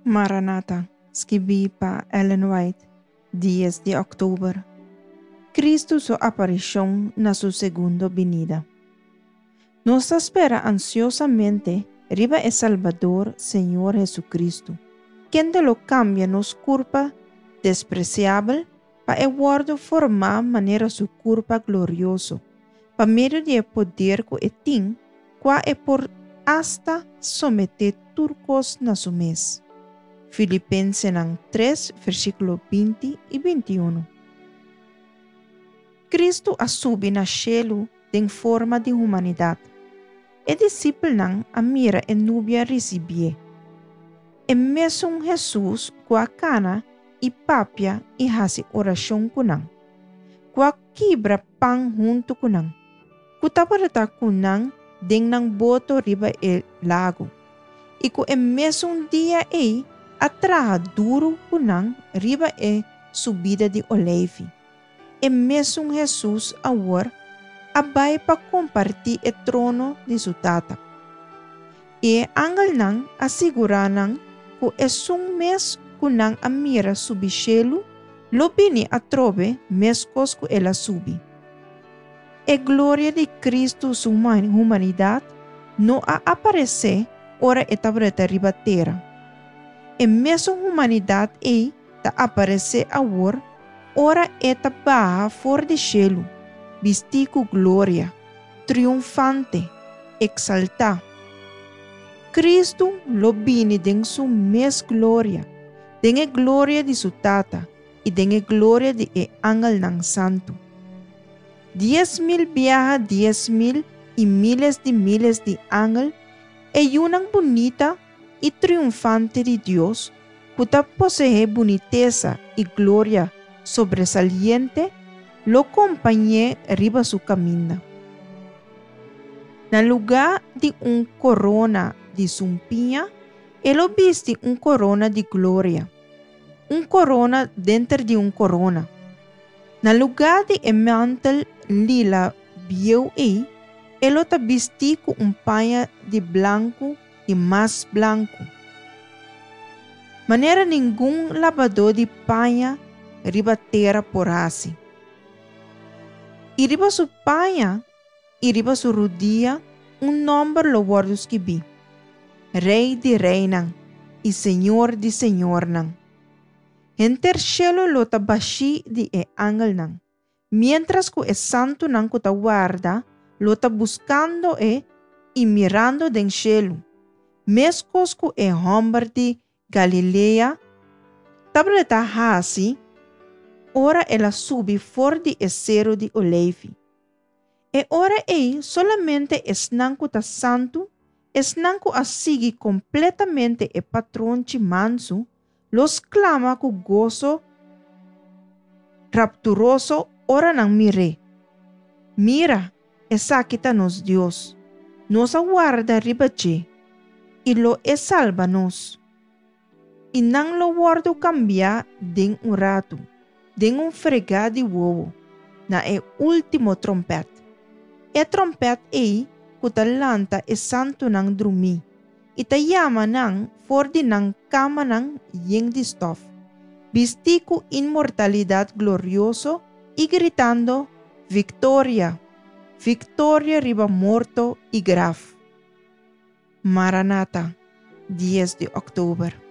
Maranata, skibí pa Ellen White, dies di òktober. Kristu su aparishon na su segundo binida. Nos ta spera ansiosamente riba e Salbador, Señor Hesukristu, kende lo kambia nos kurpa despresiabel pa e wòrdu formá manera su kurpa glorioso, pa medio di e poder ku e tin, kua e por asta someté tur kos na su mes. Filipensenan tres, versíkulo 20 i 21. Kristu a subi na shelu den forma di humanidat. E disipelnan a mira e nubia risibié. E mesun Hesus ku a kana i papia i hasi orashon ku nan, ku a kibra pan huntu ku nan, ku tabata ku nan den nan boto riba e lago, i ku e mesun dia ei a traha duru ku nan riba e Subida di Oleifi. E mesun Hesus awor a bai pa kompartí e trono di su Tata. I e angelnan a sigurá nan ku esun mes ku nan a mira subi shelu lo bini atrobe meskos ku el a subi. E gloria di Kristu su humanidat no a aparesé ora e tabata riba tera. E mesun humanidat ei ta aparesé awor ora e ta baha for di shelu, bistí ku gloria, triunfante, eksaltá. Kristu lo bini den su mes gloria, den e gloria di su Tata i den e gloria di e angelnan santu. 10,000 biaha 10,000 i míles di míles di angel, e yunan bunita i triunfante di Dios, ku ta poseé bunitesa i gloria sobresaliente, lo kompañ'é riba su kaminda. Na lugá di un korona di sumpiña, e lo bisti un korona di gloria, un korona denter di un korona. Na lugá di e mantel lila bieu ei, e lo ta bistí ku un paña di blanku di mas blanku. Manera ningun labadó di paña riba tera por hasi. I riba su paña i riba su rudia un nòmber lo wòrdu skibí, Rei di reinan i Señor di señornan. Henter shelu lo ta bashí di e angelnan. Miéntras ku e santunan ku ta warda lo ta buskando e i mirando den shelu, meskos ku e hòmber di Galilea tabata hasi ora el a subi for di e Seru di Oleifi. E ora ei solamente esnan ku ta santu, esnan ku a sigui kompletamente e patronchi mansu, lo sklama ku goso rapturoso ora nan mir'é, Mira, esaki ta nos Dios! Nos a warda riba dje, i lo e salba nos. I nan lo wòrdu kambiá den un ratu, den un fregá di wowo, na e último tròmpèt. E tròmpèt ei ku ta lanta e santunan drumí i ta yama nan for di nan kamanan yen di stòf, bistí ku inmortalidat glorioso i gritando, Viktoria! Viktoria riba morto i graf! Maranata, dies di òktober.